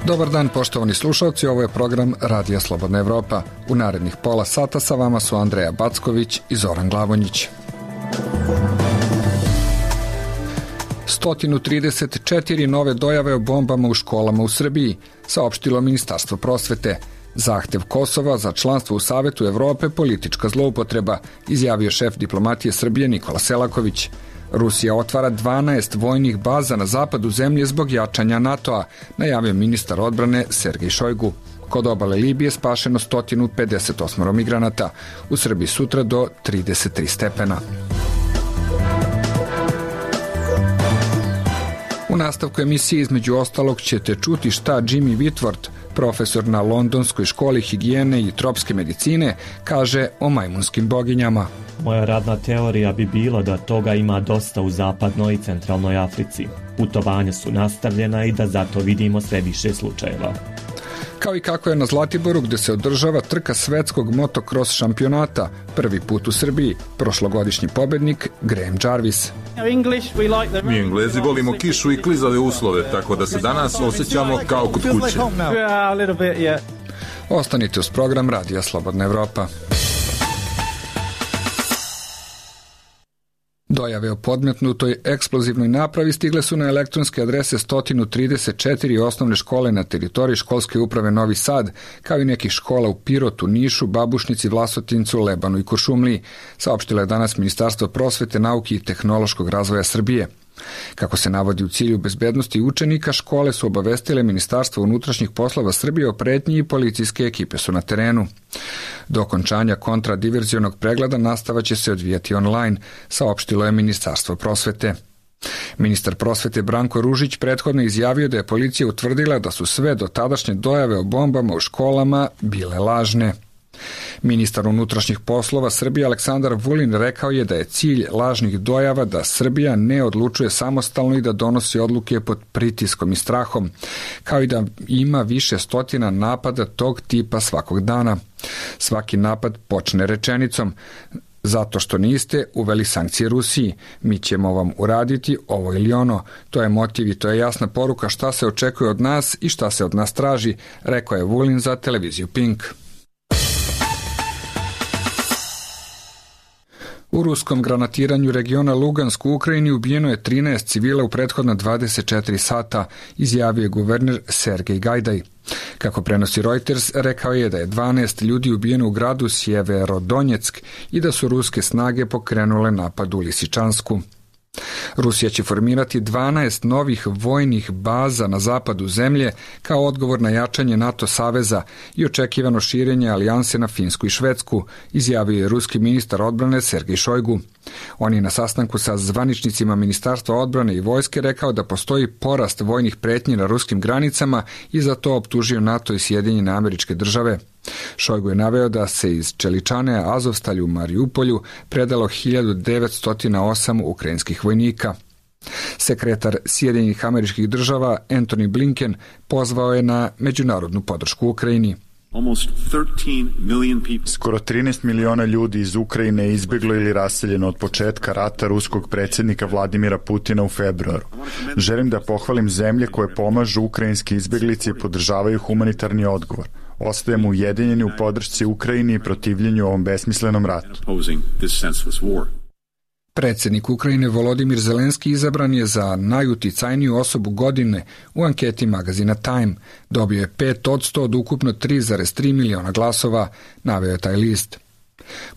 Dobar dan, poštovani slušalci, ovo je program Radija Slobodna Evropa. U narednih pola sata sa vama su Andreja Backović i Zoran Glavonjić. 134 nove dojave o bombama u školama u Srbiji, saopštilo Ministarstvo prosvete. Zahtev Kosova za članstvo u Savetu Evrope politička zloupotreba, izjavio šef diplomatije Srbije Nikola Selaković. Rusija otvara 12 vojnih baza na zapadu zemlje zbog jačanja NATO-a, najavio ministar odbrane Sergej Šojgu. Kod obale Libije spašeno 158 migranata, u Srbiji sutra do 33 stepena. U nastavku emisije između ostalog ćete čuti šta Jimmy Whitworth, profesor na Londonskoj školi higijene i tropske medicine, kaže o majmunskim boginjama. Moja radna teorija bi bila da toga ima dosta u zapadnoj i centralnoj Africi. Putovanja su nastavljena i da zato vidimo sve više slučajeva. Kao i kako je na Zlatiboru gde se održava trka svetskog motocross šampionata, prvi put u Srbiji, prošlogodišnji pobednik Graham Jarvis. Mi Englezi volimo kišu i klizave uslove, tako da se danas osjećamo kao kod kuće. Ostanite uz program Radija Slobodna Evropa. Dojave o podmetnutoj eksplozivnoj napravi stigle su na elektronske adrese 134 osnovne škole na teritoriji školske uprave Novi Sad, kao i nekih škola u Pirotu, Nišu, Babušnici, Vlasotincu, Lebanu i Kuršumliji, saopštilo je danas Ministarstvo prosvete, nauke i tehnološkog razvoja Srbije. Kako se navodi u cilju bezbednosti učenika, škole su obavestile Ministarstvo unutrašnjih poslova Srbije o pretnji i policijske ekipe su na terenu. Do okončanja kontradiverzionog pregleda nastava će se odvijati online, saopštilo je Ministarstvo prosvete. Ministar prosvete Branko Ružić prethodno izjavio da je policija utvrdila da su sve dotadašnje dojave o bombama u školama bile lažne. Ministar unutrašnjih poslova Srbije Aleksandar Vulin rekao je da je cilj lažnih dojava da Srbija ne odlučuje samostalno i da donosi odluke pod pritiskom i strahom, kao i da ima više stotina napada tog tipa svakog dana. Svaki napad počne rečenicom: zato što niste uveli sankcije Rusiji, mi ćemo vam uraditi ovo ili ono. To je motiv i to je jasna poruka šta se očekuje od nas i šta se od nas traži, rekao je Vulin za televiziju Pink. U ruskom granatiranju regiona Lugansk u Ukrajini ubijeno je 13 civila u prethodna 24 sata, izjavio je guverner Sergej Gajdaj. Kako prenosi Reuters, rekao je da je 12 ljudi ubijeno u gradu Sjeverodonjeck i da su ruske snage pokrenule napad u Lisičansku. Rusija će formirati 12 novih vojnih baza na zapadu zemlje kao odgovor na jačanje NATO saveza i očekivano širenje alijanse na Finsku i Švedsku, izjavio je ruski ministar odbrane Sergej Šojgu. On je na sastanku sa zvaničnicima Ministarstva odbrane i vojske rekao da postoji porast vojnih pretnji na ruskim granicama i za to optužio NATO i Sjedinjene Američke Države. Šojgu je naveo da se iz Čeličane Azovstalju u Mariupolju predalo 1908 ukrajinskih vojnika. Sekretar Sjedinjenih Američkih Država Antony Blinken pozvao je na međunarodnu podršku Ukrajini. Skoro 13 miliona ljudi iz Ukrajine je izbjeglo ili raseljeno od početka rata ruskog predsjednika Vladimira Putina u februaru. Želim da pohvalim zemlje koje pomažu ukrajinski izbjeglici i podržavaju humanitarni odgovor. Ostajemo ujedinjeni u podršci Ukrajini i protivljenju ovom besmislenom ratu. Predsjednik Ukrajine Volodimir Zelenski izabran je za najuticajniju osobu godine u anketi magazina Time. Dobio je 5% od ukupno 3,3 miliona glasova, naveo je taj list.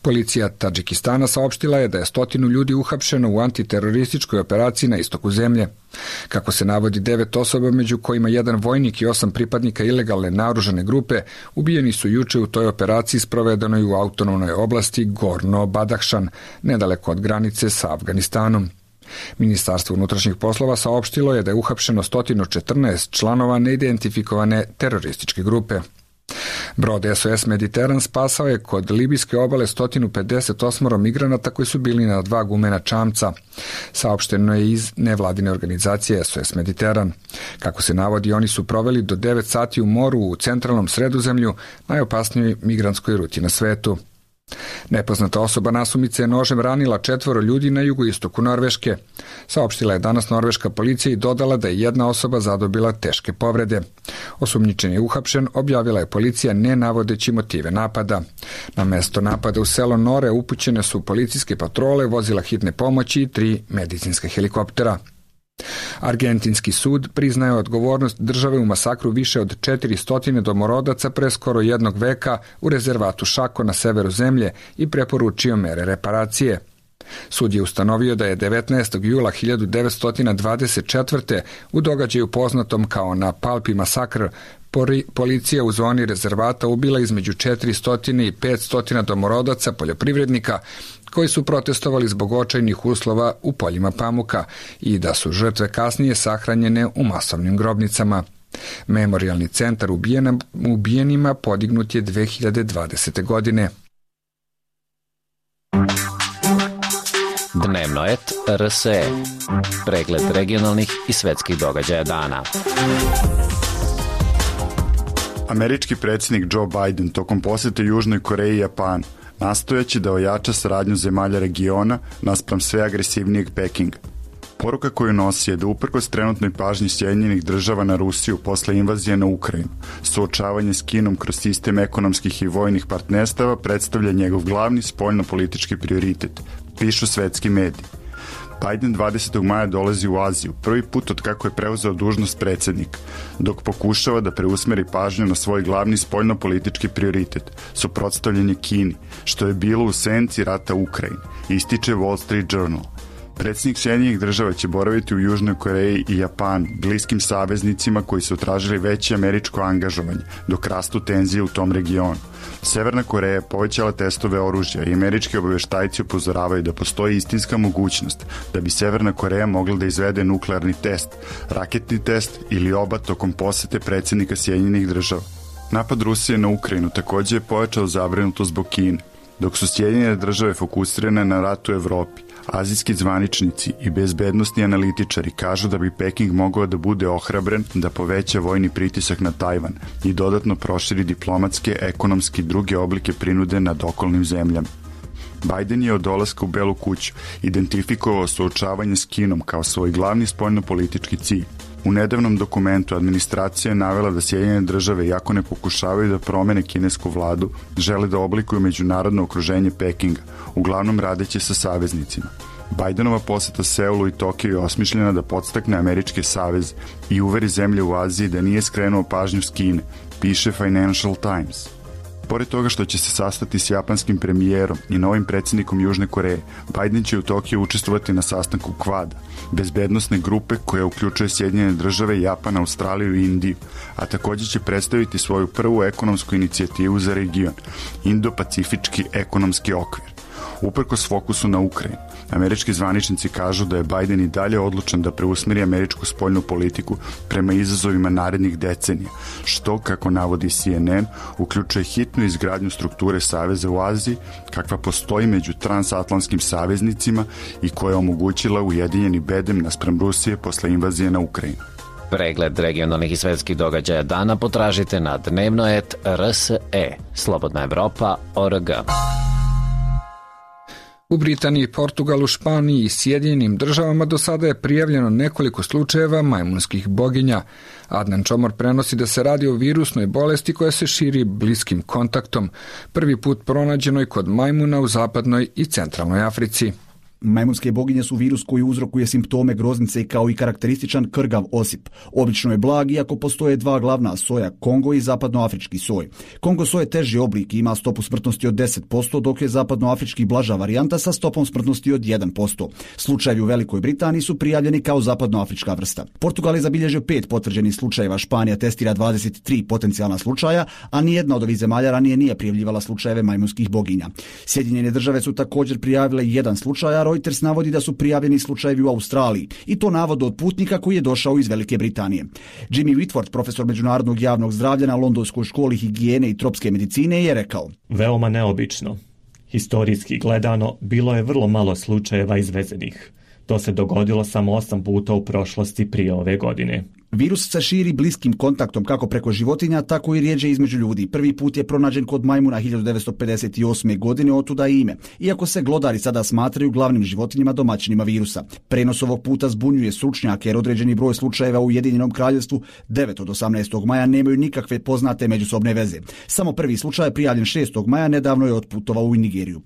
Policija Tadžikistana saopštila je da je 100 ljudi uhapšeno u antiterorističkoj operaciji na istoku zemlje. Kako se navodi, 9 osoba, među kojima 1 vojnik i 8 pripadnika ilegalne naoružane grupe, ubijeni su juče u toj operaciji sprovedenoj u autonomnoj oblasti Gorno Badahšan, nedaleko od granice sa Afganistanom. Ministarstvo unutrašnjih poslova saopštilo je da je uhapšeno 114 članova neidentifikovane terorističke grupe. Brod SOS Mediteran spasao je kod libijske obale 158 migranata koji su bili na 2 gumena čamca. Saopšteno je iz nevladine organizacije SOS Mediteran. Kako se navodi, oni su proveli do 9 sati u moru u centralnom Sredozemlju, najopasnijoj migrantskoj ruti na svetu. Nepoznata osoba nasumice je nožem ranila 4 ljudi na jugoistoku Norveške. Saopštila je danas norveška policija i dodala da je jedna osoba zadobila teške povrede. Osumnjičen je uhapšen, objavila je policija ne navodeći motive napada. Na mesto napada u selo Nore upućene su policijske patrole, vozila hitne pomoći i 3 medicinska helikoptera. Argentinski sud priznaje odgovornost države u masakru više od 400 domorodaca pre skoro 1 veka u rezervatu Šako na severu zemlje i preporučio mere reparacije. Sud je ustanovio da je 19. jula 1924. u događaju poznatom kao na Palpi masakr policija u zoni rezervata ubila između 400 i 500 domorodaca poljoprivrednika koji su protestovali zbog očajnih uslova u poljima pamuka i da su žrtve kasnije sahranjene u masovnim grobnicama. Memorijalni centar ubijenima podignut je 2020. godine. Dnevno et RSE. Pregled regionalnih i svetskih događaja dana. Američki predsjednik Joe Biden tokom posjete Južnoj Koreji i Japanu nastojeći da ojača saradnju zemalja regiona naspram sve agresivnijeg Pekinga. Poruka koju nosi je da uprkos trenutnoj pažnji Sjedinjenih država na Rusiju posle invazije na Ukrajinu, suočavanje s Kinom kroz sistem ekonomskih i vojnih partnerstava predstavlja njegov glavni spoljno-politički prioritet, pišu svetski mediji. Biden 20. maja dolazi u Aziju, prvi put od kako je preuzeo dužnost predsjednika, dok pokušava da preusmeri pažnju na svoj glavni spoljno-politički prioritet, suprotstavljanje Kini, što je bilo u senci rata u Ukrajini, ističe Wall Street Journal. Predsjednik Sjedinjenih država će boraviti u Južnoj Koreji i Japanu, bliskim saveznicima koji su tražili veće američko angažovanje, dok rastu tenzije u tom regionu. Severna Koreja je povećala testove oružja i američki obavještajci upozoravaju da postoji istinska mogućnost da bi Severna Koreja mogla da izvede nuklearni test, raketni test ili oba tokom posete predsjednika Sjedinjenih država. Napad Rusije na Ukrajinu također je povećao zabrinutost zbog Kine, dok su Sjedinjene države fokusirane na rat u Evropi. Azijski zvaničnici i bezbednosni analitičari kažu da bi Peking mogao da bude ohrabren da poveća vojni pritisak na Tajvan i dodatno proširi diplomatske, ekonomske i druge oblike prinude nad okolnim zemljama. Biden je od dolaska u Belu kuću identifikovao suočavanje s Kinom kao svoj glavni spoljno-politički cilj. U nedavnom dokumentu administracija je navela da Sjedinjene države, iako ne pokušavaju da promene kinesku vladu, žele da oblikuju međunarodno okruženje Pekinga, uglavnom radeći sa saveznicima. Bidenova poseta Seulu i Tokiju je osmišljena da podstakne američke saveze i uveri zemlje u Aziji da nije skrenuo pažnju s Kine, piše Financial Times. Pored toga što će se sastati s japanskim premijerom i novim predsjednikom Južne Koreje, Biden će u Tokiju učestvovati na sastanku Quada, bezbednosne grupe koja uključuje Sjedinjene države, Japan, Australiju i Indiju, a također će predstaviti svoju prvu ekonomsku inicijativu za region, Indo-Pacifički ekonomski okvir. Uprkos fokusu na Ukrajinu, američki zvaničnici kažu da je Biden i dalje odlučan da preusmeri američku spoljnu politiku prema izazovima narednih decenija, što, kako navodi CNN, uključuje hitnu izgradnju strukture saveza u Aziji, kakva postoji među transatlantskim saveznicima i koja je omogućila ujedinjeni bedem naspram Rusije posle invazije na Ukrajinu. Pregled regionalnih i svetskih događaja dana potražite na dnevno.rs.e, slobodnaevropa.org. U Britaniji, Portugalu, Španiji i Sjedinjenim državama do sada je prijavljeno nekoliko slučajeva majmunskih boginja. Adnan Čomor prenosi da se radi o virusnoj bolesti koja se širi bliskim kontaktom, prvi put pronađenoj kod majmuna u zapadnoj i centralnoj Africi. Majmunske boginje su virus koji uzrokuje simptome groznice kao i karakterističan krgav osip. Obično je blag, iako postoje 2 glavna soja, Kongo i zapadnoafrički soj. Kongo soj je teži oblik i ima stopu smrtnosti od 10%, dok je zapadnoafrički blaža varijanta sa stopom smrtnosti od 1%. Slučajevi u Velikoj Britaniji su prijavljeni kao zapadnoafrička vrsta. Portugal je zabilježio 5 potvrđenih slučajeva, Španija testira 23 potencijalna slučaja, a nijedna od ovih zemalja ranije nije prijavljivala slučajeve majmunskih boginja. Sjedinjene države su također prijavile 1 slučaj, a Reuters navodi da su prijavljeni slučajevi u Australiji, i to navod od putnika koji je došao iz Velike Britanije. Jimmy Whitford, profesor međunarodnog javnog zdravlja na Londonskoj školi higijene i tropske medicine, je rekao: Veoma neobično. Historijski gledano, bilo je vrlo malo slučajeva izvezenih. To se dogodilo samo 8 puta u prošlosti prije ove godine. Virus se širi bliskim kontaktom kako preko životinja, tako i rjeđe između ljudi. Prvi put je pronađen kod majmuna 1958. godine, otuda i ime. Iako se glodari sada smatraju glavnim životinjama domaćinima virusa. Prenos ovog puta zbunjuje stručnjake jer određeni broj slučajeva u Ujedinjenom Kraljevstvu 9 od 18. maja nemaju nikakve poznate međusobne veze. Samo prvi slučaj prijavljen 6. maja nedavno je otputovao u Nigeriju.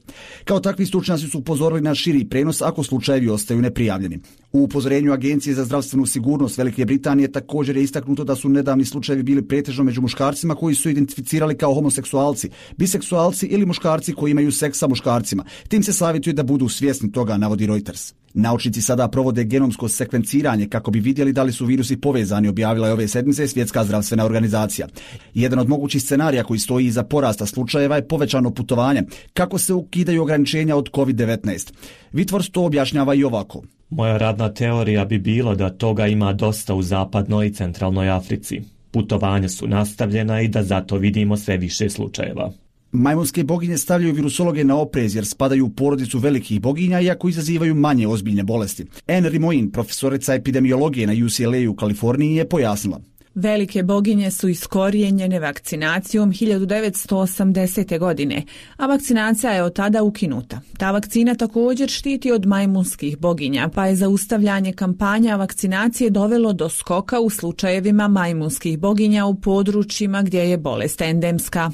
Kao takvi stručnjaci su upozorili na širi prenos ako slučajevi ostaju neprijavljeni. U upozorenju Agencije za zdravstvenu sigurnost Velike Britanije također je istaknuto da su nedavni slučajevi bili pretežno među muškarcima koji su identificirali kao homoseksualci, biseksualci ili muškarci koji imaju seks sa muškarcima. Tim se savjetuje da budu svjesni toga, navodi Reuters. Naučnici sada provode genomsko sekvenciranje kako bi vidjeli da li su virusi povezani, objavila je ove sedmice Svjetska zdravstvena organizacija. Jedan od mogućih scenarija koji stoji iza porasta slučajeva je povećano putovanje, kako se ukidaju ograničenja od COVID-19. Whitworth to objašnjava i ovako. Moja radna teorija bi bila da toga ima dosta u zapadnoj i centralnoj Africi. Putovanja su nastavljena i da zato vidimo sve više slučajeva. Majmunske boginje stavljaju virusologe na oprez jer spadaju u porodicu velikih boginja iako izazivaju manje ozbiljne bolesti. Anne Rimoin, profesorica epidemiologije na UCLA u Kaliforniji, je pojasnila. Velike boginje su iskorijenjene vakcinacijom 1980. godine, a vakcinacija je od tada ukinuta. Ta vakcina također štiti od majmunskih boginja, pa je zaustavljanje kampanja vakcinacije dovelo do skoka u slučajevima majmunskih boginja u područjima gdje je bolest endemska.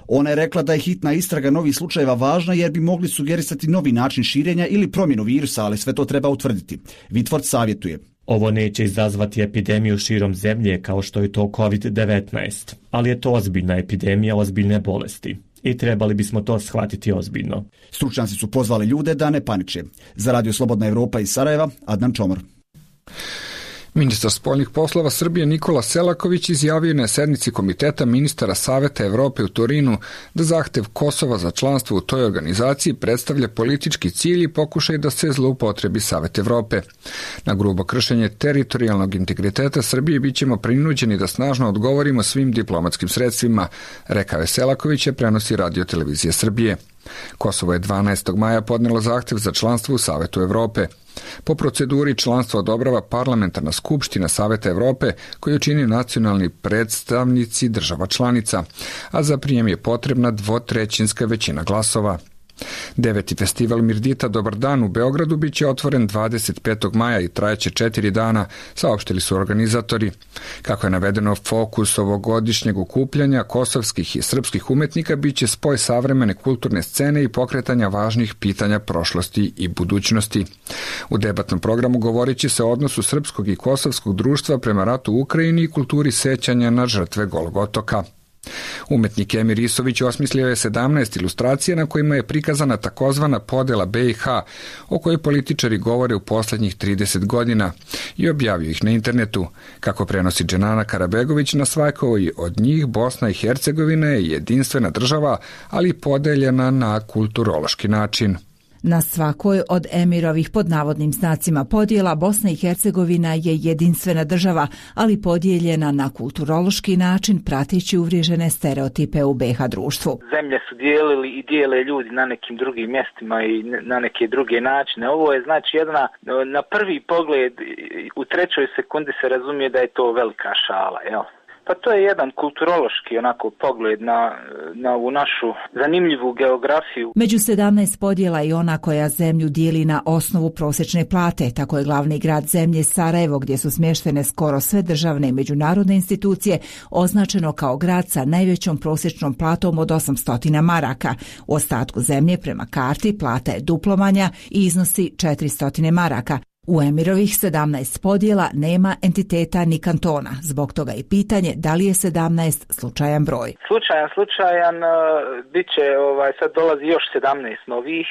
Ona je rekla da je hitna istraga novih slučajeva važna jer bi mogli sugerisati novi način širenja ili promjenu virusa, ali sve to treba utvrditi. Whitworth savjetuje. Ovo neće izazvati epidemiju širom zemlje kao što je to COVID-19, ali je to ozbiljna epidemija ozbiljne bolesti i trebali bismo to shvatiti ozbiljno. Stručnjaci su pozvali ljude da ne paniče. Za Radio Slobodna Evropa iz Sarajeva, Adnan Čomor. Ministar spoljnih poslova Srbije Nikola Selaković izjavio na sednici Komiteta ministara Saveta Evrope u Torinu da zahtev Kosova za članstvo u toj organizaciji predstavlja politički cilj i pokušaj da se zloupotrebi Savet Evrope. Na grubo kršenje teritorijalnog integriteta Srbije bit ćemo prinuđeni da snažno odgovorimo svim diplomatskim sredstvima, rekao je Selaković, prenosi Radio Televizija Srbije. Kosovo je 12. maja podnelo zahtev za članstvo u Savetu Evrope. Po proceduri članstvo odobrava parlamentarna skupština Saveta Evrope koju čini nacionalni predstavnici država članica, a za prijem je potrebna 2/3 većina glasova. 9. festival Mirdita Dobar dan u Beogradu biće otvoren 25. maja i trajeće 4 dana, saopštili su organizatori. Kako je navedeno, fokus ovogodišnjeg okupljanja kosovskih i srpskih umetnika biće spoj savremene kulturne scene i pokretanja važnih pitanja prošlosti i budućnosti. U debatnom programu govorit će se o odnosu srpskog i kosovskog društva prema ratu u Ukrajini i kulturi sećanja na žrtve Golog otoka. Umetnik Emir Isović osmislio je 17 ilustracija na kojima je prikazana takozvana podela BiH, o kojoj političari govore u posljednjih 30 godina, i objavio ih na internetu. Kako prenosi Dženana Karabegović, na svakoj od njih Bosna i Hercegovina je jedinstvena država, ali podeljena na kulturološki način. Na svakoj od Emirovih pod navodnim znacima podjela Bosna i Hercegovina je jedinstvena država, ali podijeljena na kulturološki način prateći uvriježene stereotipe u BiH društvu. Zemlje su dijelili i dijele ljudi na nekim drugim mjestima i na neke druge načine. Ovo je znači jedna, na prvi pogled u 3. sekundi se razumije da je to velika šala, jel? Pa to je jedan kulturološki onako pogled na ovu našu zanimljivu geografiju. Među 17 podjela i ona koja zemlju dijeli na osnovu prosječne plate. Tako je glavni grad zemlje Sarajevo, gdje su smještene skoro sve državne i međunarodne institucije, označeno kao grad sa najvećom prosječnom platom od 800 maraka. U ostatku zemlje prema karti plata je duplo manja i iznosi 400 maraka. U Emirovih 17 podjela nema entiteta ni kantona, zbog toga i pitanje da li je 17 slučajan broj. Slučajan, bit će, sad dolazi još 17 novih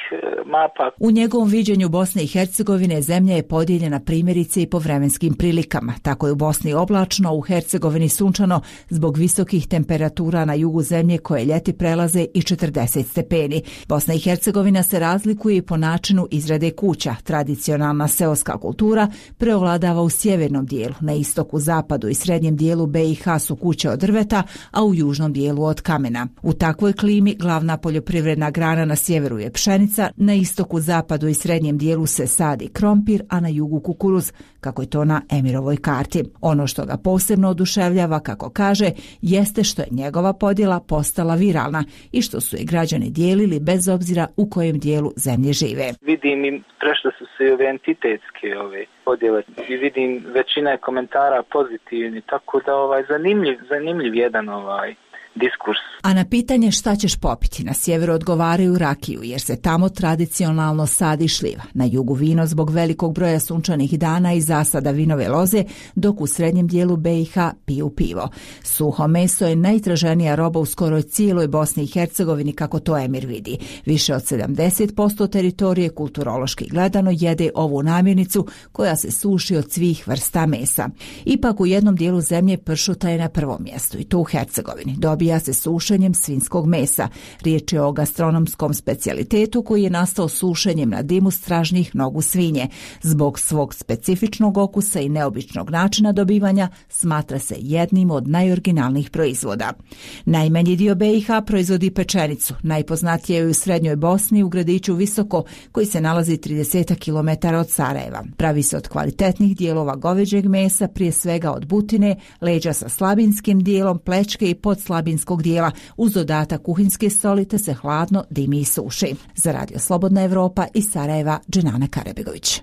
mapa. U njegovom viđenju Bosne i Hercegovine zemlja je podijeljena primjerice i po vremenskim prilikama. Tako je u Bosni oblačno, u Hercegovini sunčano zbog visokih temperatura na jugu zemlje koje ljeti prelaze i 40 stepeni. Bosna i Hercegovina se razlikuje i po načinu izrade kuća. Tradicionalna seoska sportska kultura preovladava u sjevernom dijelu, na istoku, zapadu i srednjem dijelu BiH su kuće od drveta, a u južnom dijelu od kamena. U takvoj klimi glavna poljoprivredna grana na sjeveru je pšenica, na istoku, zapadu i srednjem dijelu se sadi krompir, a na jugu kukuruz, kako je to na Emirovoj karti. Ono što ga posebno oduševljava, kako kaže, jeste što je njegova podjela postala viralna i što su je građani dijelili bez obzira u kojem dijelu zemlje žive. Vidim i prešle su se ove entitetske podjele i vidim većina je komentara pozitivni, tako da zanimljiv jedan diskurs. A na pitanje šta ćeš popiti, na sjeveru odgovaraju rakiju, jer se tamo tradicionalno sadi šljiva. Na jugu vino zbog velikog broja sunčanih dana i zasada vinove loze, dok u srednjem dijelu BiH piju pivo. Suho meso je najtraženija roba u skoroj cijeloj Bosni i Hercegovini, kako to Emir vidi. Više od 70% teritorije kulturološki gledano jede ovu namirnicu koja se suši od svih vrsta mesa. Ipak u jednom dijelu zemlje pršuta je na prvom mjestu, i to u Hercegovini. Dobija se sušenjem svinjskog mesa. Riječ je o gastronomskom specijalitetu koji je nastao sušenjem na dimu stražnjih nogu svinje. Zbog svog specifičnog okusa i neobičnog načina dobivanja smatra se jednim od najoriginalnijih proizvoda. Najmanji dio BiH proizvodi pečenicu. Najpoznatije je u srednjoj Bosni u gradiću Visoko, koji se nalazi 30 km od Sarajeva. Pravi se od kvalitetnih dijelova goveđeg mesa, prije svega od butine, leđa sa slabinskim dijelom, plečke i podslabinskog dijela, uz dodatak kuhinjske soli, te se hladno dimi i suši. Za Radio Slobodna Evropa iz Sarajeva, Dženana Karebegović.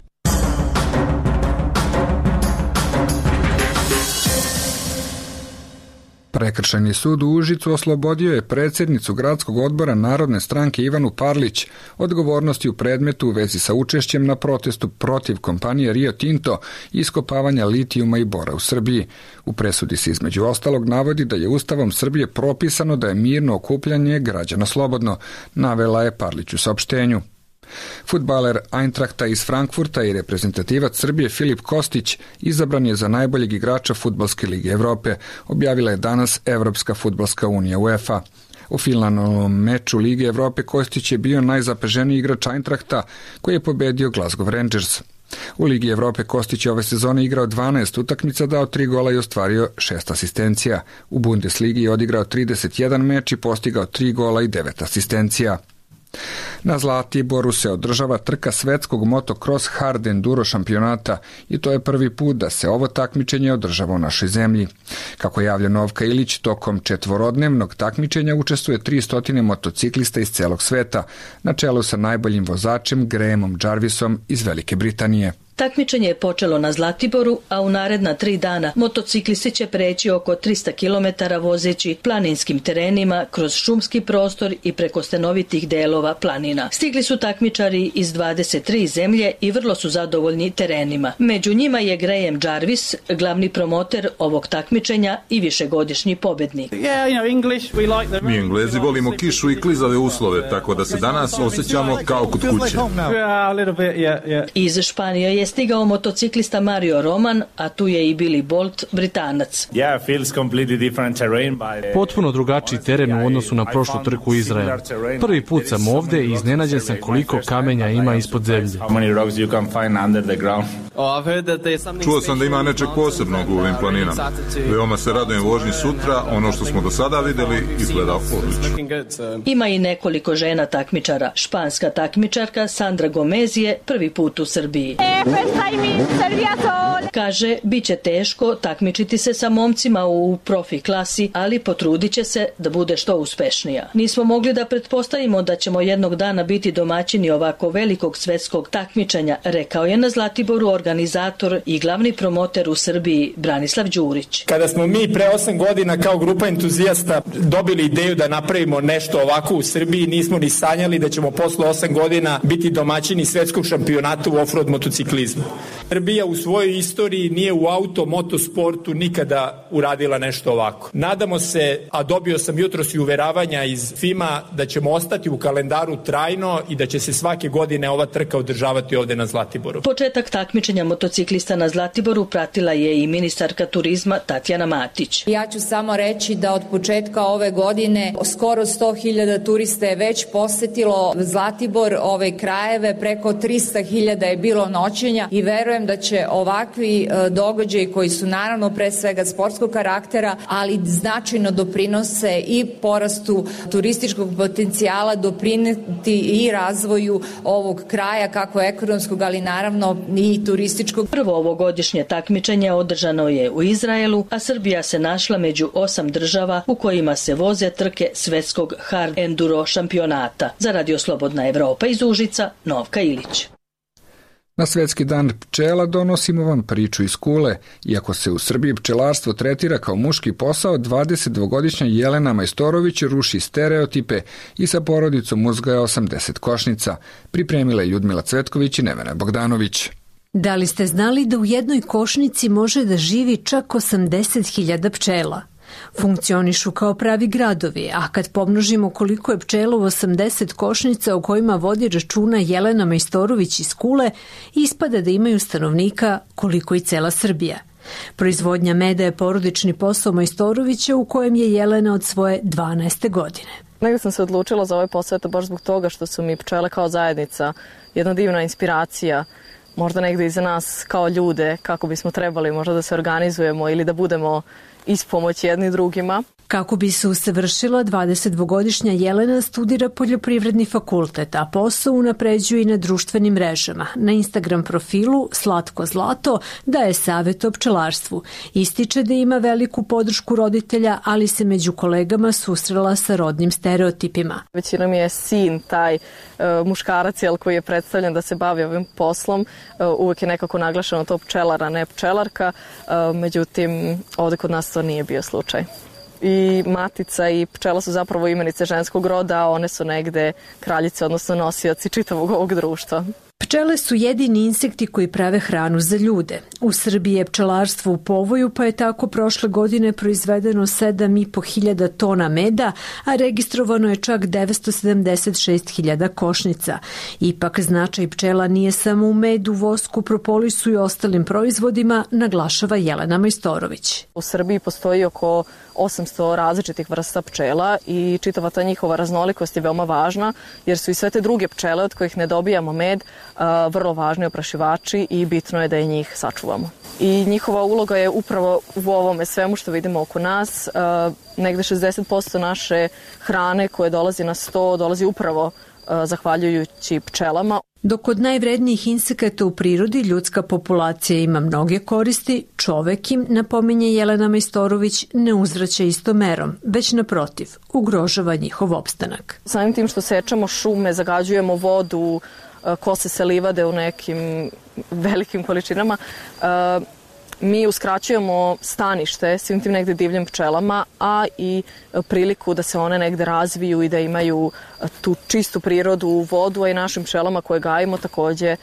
Prekršajni sud u Užicu oslobodio je predsjednicu gradskog odbora Narodne stranke Ivanu Parlić odgovornosti u predmetu u vezi sa učešćem na protestu protiv kompanije Rio Tinto i iskopavanja litijuma i bora u Srbiji. U presudi se između ostalog navodi da je Ustavom Srbije propisano da je mirno okupljanje građana slobodno, navela je Parlić u saopštenju. Fudbaler Eintrachta iz Frankfurta i reprezentativac Srbije Filip Kostić izabran je za najboljeg igrača Fudbalske lige Evrope, objavila je danas Evropska fudbalska unija UEFA. U finalnom meču Lige Evrope Kostić je bio najzapaženiji igrač Eintrachta, koji je pobedio Glasgow Rangers. U Ligi Evrope Kostić je ove sezone igrao 12 utakmica, dao 3 gola i ostvario 6 asistencija. U Bundesligi je odigrao 31 meč i postigao 3 gola i 9 asistencija. Na Zlatiboru se održava trka svetskog motocross hard enduro šampionata i to je prvi put da se ovo takmičenje održava u našoj zemlji. Kako javlja Novka Ilić, tokom 4-dnevnog takmičenja učestvuje 300 motociklista iz celog sveta, na čelu sa najboljim vozačem Grahamom Jarvisom iz Velike Britanije. Takmičenje je počelo na Zlatiboru, a u naredna 3 dana motociklisti će preći oko 300 km vozeći planinskim terenima kroz šumski prostor i preko stenovitih delova planina. Stigli su takmičari iz 23 zemlje i vrlo su zadovoljni terenima. Među njima je Graham Jarvis, glavni promoter ovog takmičenja i višegodišnji pobednik. Mi Englezi volimo kišu i klizave uslove, tako da se danas osjećamo kao kod kuće. Iz Španije je stigao motociklista Mario Roman, a tu je i Billy Bolt, Britanac. Potpuno drugačiji teren u odnosu na prošlu trku u Izraelu. Prvi put sam ovde i iznenađen sam koliko kamenja ima ispod zemlje. Čuo sam da ima nečeg posebnog u ovim planinama. Veoma se radujem vožnji sutra, ono što smo do sada videli izgleda odlično. Ima i nekoliko žena takmičara. Španska takmičarka Sandra Gomez je prvi put u Srbiji. Kaže, bit će teško takmičiti se sa momcima u profi klasi, ali potrudit će se da bude što uspešnija. Nismo mogli da pretpostavimo da ćemo jednog dana biti domaćini ovako velikog svetskog takmičenja, rekao je na Zlatiboru organizator i glavni promoter u Srbiji Branislav Đurić. Kada smo mi pre 8 godina kao grupa entuzijasta dobili ideju da napravimo nešto ovako u Srbiji, nismo ni sanjali da ćemo posle 8 godina biti domaćini svetskog šampionata u offroad motociklizmu. Srbija u svojoj istoriji nije u motosportu nikada uradila nešto ovako. Nadamo se, a dobio sam jutros i uveravanja iz FIMA, da ćemo ostati u kalendaru trajno i da će se svake godine ova trka održavati ovde na Zlatiboru. Početak takmičenja motociklista na Zlatiboru pratila je i ministarka turizma Tatjana Matić. Ja ću samo reći da od početka ove godine skoro 100.000 turista je već posetilo Zlatibor, ove krajeve, preko 300.000 je bilo noćenja takmičenja i verujem da će ovakvi događaji koji su naravno pre svega sportskog karaktera, ali značajno doprinose i porastu turističkog potencijala, doprineti i razvoju ovog kraja, kako ekonomskog, ali naravno i turističkog. Prvo ovogodišnje takmičenje održano je u Izraelu, a Srbija se našla među 8 država u kojima se voze trke svetskog hard enduro šampionata. Za Radio Slobodna Evropa iz Užica, Novka Ilić. Na Svetski dan pčela donosimo vam priču iz Kule. Iako se u Srbiji pčelarstvo tretira kao muški posao, 22-godišnja Jelena Majstorović ruši stereotipe i sa porodicom uzgaja 80 košnica. Pripremila je Ljudmila Cvetković i Nevena Bogdanović. Da li ste znali da u jednoj košnici može da živi čak 80.000 pčela? Funkcionišu kao pravi gradovi, a kad pomnožimo koliko je pčela u 80 košnica o kojima vodi računa Jelena Majstorović iz Kule, ispada da imaju stanovnika koliko i cela Srbija. Proizvodnja meda je porodični posao Majstorovića u kojem je Jelena od svoje 12. godine. Negdje sam se odlučila za ovaj posao baš zbog toga što su mi pčele kao zajednica jedna divna inspiracija, možda negdje i za nas kao ljude, kako bismo trebali možda da se organizujemo ili da budemo ispomoć jedni drugima. Kako bi se usavršila, 22-godišnja Jelena studira poljoprivredni fakultet, a posao unapređuje i na društvenim mrežama. Na Instagram profilu Slatko Zlato daje savjet o pčelarstvu. Ističe da ima veliku podršku roditelja, ali se među kolegama susrela sa rodnim stereotipima. Većina mi je sin, taj muškarac koji je predstavljen da se bavi ovim poslom. Uvijek je nekako naglašeno to pčelar, a ne pčelarka. Međutim, ovdje kod nas to nije bio slučaj. I matica i pčela su zapravo imenice ženskog roda, a one su negde kraljice, odnosno nosioci čitavog ovog društva. Pčele su jedini insekti koji prave hranu za ljude. U Srbiji je pčelarstvo u povoju, pa je tako prošle godine proizvedeno 7.500 tona meda, a registrovano je čak 976.000 košnica. Ipak značaj pčela nije samo u medu, vosku, propolisu i ostalim proizvodima, naglašava Jelena Majstorović. U Srbiji postoji oko 800 različitih vrsta pčela i čitava ta njihova raznolikost je veoma važna, jer su i sve te druge pčele od kojih ne dobijamo med vrlo važni oprašivači i bitno je da i njih sačuvamo. I njihova uloga je upravo u ovome svemu što vidimo oko nas. Negde 60% naše hrane koje dolazi na sto dolazi upravo zahvaljujući pčelama. Dok od najvrednijih insekata u prirodi ljudska populacija ima mnoge koristi, čovek im, napominje Jelena Majstorović, ne uzvraća istom merom, već naprotiv, ugrožava njihov opstanak. Samim tim što sečemo šume, zagađujemo vodu, kose se livade u nekim velikim količinama, mi uskraćujemo stanište svim tim negde divljim pčelama, a i priliku da se one negde razviju i da imaju tu čistu prirodu, vodu, a i našim pčelama koje gajimo takođe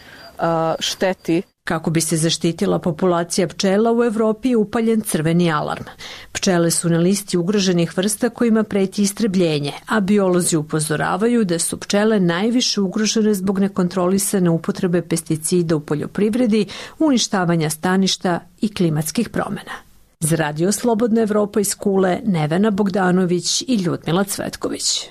šteti. Kako bi se zaštitila populacija pčela, u Evropi je upaljen crveni alarm. Pčele su na listi ugroženih vrsta kojima preti istrebljenje, a biolozi upozoravaju da su pčele najviše ugrožene zbog nekontrolisane upotrebe pesticida u poljoprivredi, uništavanja staništa i klimatskih promjena. Za Radio Slobodna Evropa iz Kule, Nevena Bogdanović i Ljudmila Cvetković.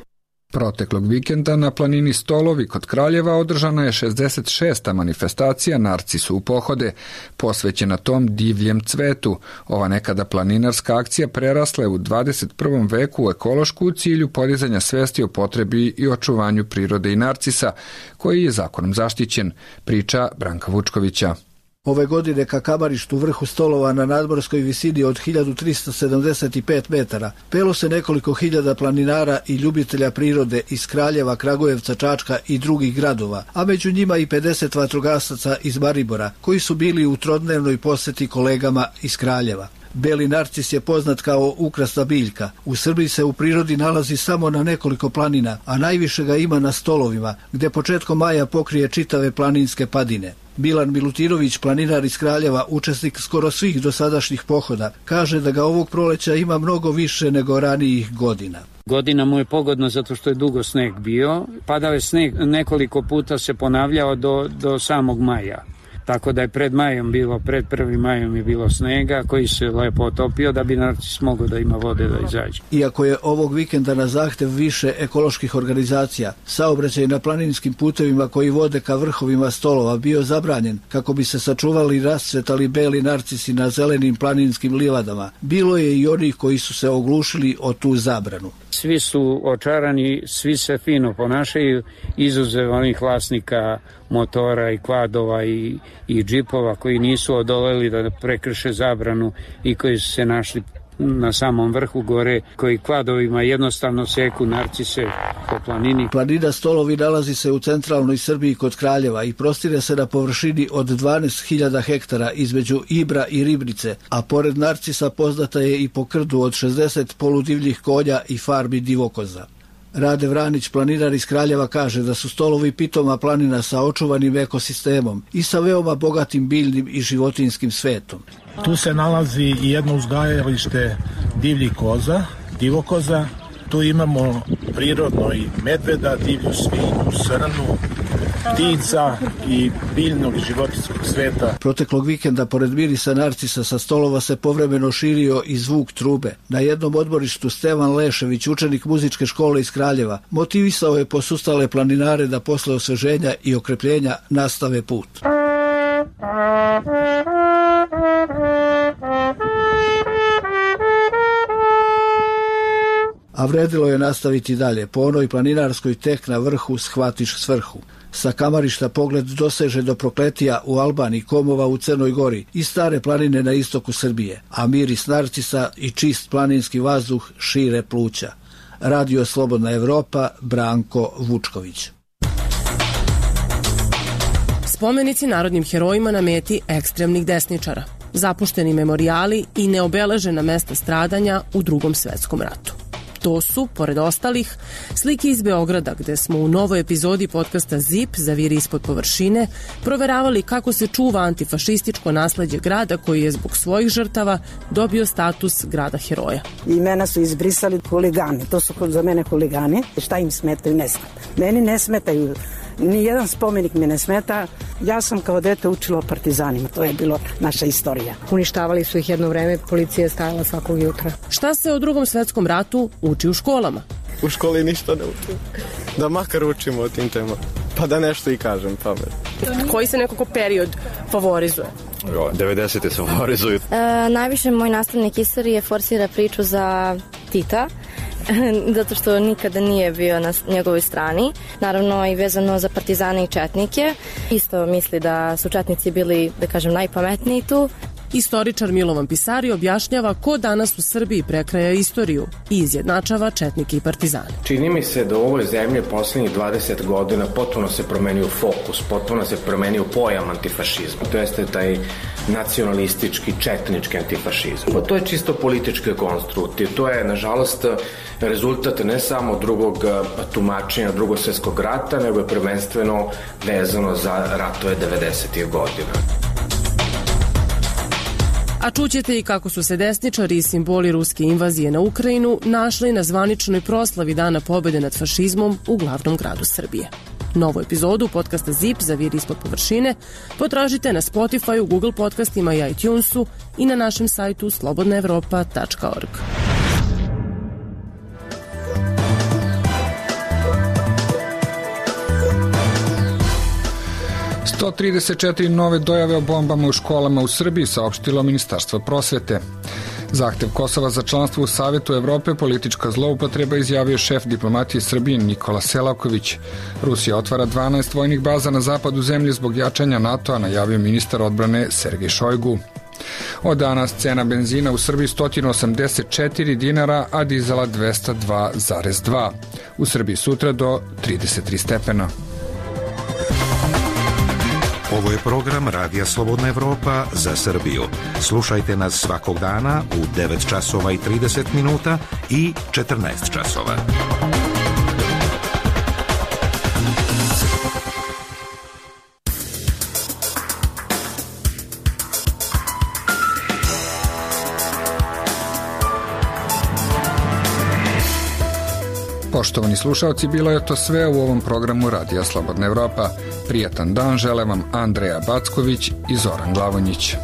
Proteklog vikenda na planini Stolovi kod Kraljeva održana je 66. manifestacija Narcisu u pohode, posvećena tom divljem cvetu. Ova nekada planinarska akcija prerasla je u 21. veku u ekološku u cilju podizanja svesti o potrebi i očuvanju prirode i narcisa, koji je zakonom zaštićen, priča Branka Vučkovića. Ove godine ka kamarištu vrhu Stolova na nadmorskoj visini od 1375 metara pelo se nekoliko hiljada planinara i ljubitelja prirode iz Kraljeva, Kragujevca, Čačka i drugih gradova, a među njima i 50 vatrogasaca iz Maribora, koji su bili u trodnevnoj poseti kolegama iz Kraljeva. Beli narcis je poznat kao ukrasna biljka. U Srbiji se u prirodi nalazi samo na nekoliko planina, a najviše ga ima na Stolovima, gde početkom maja pokrije čitave planinske padine. Milan Milutinović, planinar iz Kraljeva, učesnik skoro svih dosadašnjih pohoda, kaže da ga ovog proleća ima mnogo više nego ranijih godina. Godina mu je pogodno zato što je dugo sneg bio. Padao je sneg, nekoliko puta se ponavljao do samog maja. tako da je pred 1. majom je bilo snega koji se lepo otopio da bi Narcis mogao da ima vode da izađe. Iako je ovog vikenda na zahtev više ekoloških organizacija saobraćaj na planinskim putevima koji vode ka vrhovima Stolova bio zabranjen kako bi se sačuvali i rascvetali beli narcisi na zelenim planinskim livadama, bilo je i onih koji su se oglušili o tu zabranu. Svi su očarani, svi se fino ponašaju, izuzev onih vlasnika motora i kvadova i džipova koji nisu odoleli da prekrše zabranu i koji su se našli na samom vrhu gore, koji kvadovima jednostavno seku narcise po planini. Planina Stolovi nalazi se u centralnoj Srbiji kod Kraljeva i prostire se na površini od 12.000 hektara između Ibra i Ribnice, a pored narcisa poznata je i po krdu od 60 poludivljih konja i farmi divokoza. Rade Vranić, planinar iz Kraljeva, kaže da su Stolovi pitoma planina sa očuvanim ekosistemom i sa veoma bogatim biljnim i životinjskim svetom. Tu se nalazi i jedno uzgajalište divljih koza, divokoza. Tu imamo prirodno i medveda, divlju svinju, srnu, ptica i biljnog i životinjskog sveta. Proteklog vikenda, pored mirisa narcisa, sa Stolova se povremeno širio i zvuk trube. Na jednom odmorištu Stevan Lešević, učenik muzičke škole iz Kraljeva, motivisao je posustale planinare da posle osveženja i okrepljenja nastave put. A vredilo je nastaviti dalje. Po onoj planinarskoj tek na vrhu shvatiš svrhu. Sa kamarišta pogled doseže do Prokletija u Albaniji, Komova u Crnoj Gori i Stare planine na istoku Srbije, a miris narcisa i čist planinski vazduh šire pluća. Radio Slobodna Evropa, Branko Vučković. Spomenici narodnim herojima na meti ekstremnih desničara, zapušteni memorijali i neobeležena mesta stradanja u Drugom svetskom ratu. To su, pored ostalih, slike iz Beograda, gde smo u novoj epizodi podcasta ZIP Zaviri ispod površine proveravali kako se čuva antifašističko nasleđe grada koji je zbog svojih žrtava dobio status grada heroja. Imena su izbrisali huligani, to su za mene huligani. Šta im smetaju? Ne smeta. Meni ne smetaju. Nijedan spomenik me ne smeta. Ja sam kao dete učila o partizanima. To je bilo naša istorija. Uništavali su ih jedno vreme, policija je stajala svakog jutra. Šta se o Drugom svetskom ratu uči u školama? U školi ništa ne učim. Da makar učimo o tim temama. Pa da nešto i kažem pamet. Koji se nekako period favorizuje? 90. se favorizuju. Najviše moj nastavnik istorije forsira priču za Tita, zato što nikada nije bio na njegovoj strani. Naravno i vezano za partizane i četnike. Isto misli da su četnici bili, da kažem, najpametniji tu. Istoričar Milovan Pisari objašnjava ko danas u Srbiji prekraja istoriju i izjednačava četnike i partizane. Čini mi se da u ovoj zemlji poslednjih 20 godina potpuno se promenio fokus, potpuno se promenio pojam antifašizma. To jeste taj nacionalistički, četnički antifašizam. To je čisto politički konstrukt i to je, nažalost, rezultat ne samo drugog tumačenja Drugog svjetskog rata, nego je prvenstveno vezano za ratove 90. godina. A čućete i kako su se desničari i simboli ruske invazije na Ukrajinu našli na zvaničnoj proslavi Dana pobede nad fašizmom u glavnom gradu Srbije. Novu epizodu podcasta ZIP Zaviri ispod površine potražite na Spotify, Google podcastima i iTunesu i na našem sajtu slobodnaevropa.org. 134 nove dojave o bombama u školama u Srbiji, saopštilo Ministarstvo prosvete. Zahtev Kosova za članstvo u Savetu Evrope politička zloupotreba, izjavio šef diplomatije Srbije Nikola Selaković. Rusija otvara 12 vojnih baza na zapadu zemlje zbog jačanja NATO-a, najavio ministar odbrane Sergej Šojgu. Od danas cena benzina u Srbiji 184 dinara, a dizela 202,2. U Srbiji sutra do 33 stepena. Ovo je program Radija Slobodna Evropa za Srbiju. Slušajte nas svakog dana u 9 časova i 30 minuta i 14 časova. Poštovani slušalci, bilo je to sve u ovom programu Radija Slobodna Evropa. Prijatan dan žele vam Andreja Backović i Zoran Glavonjić.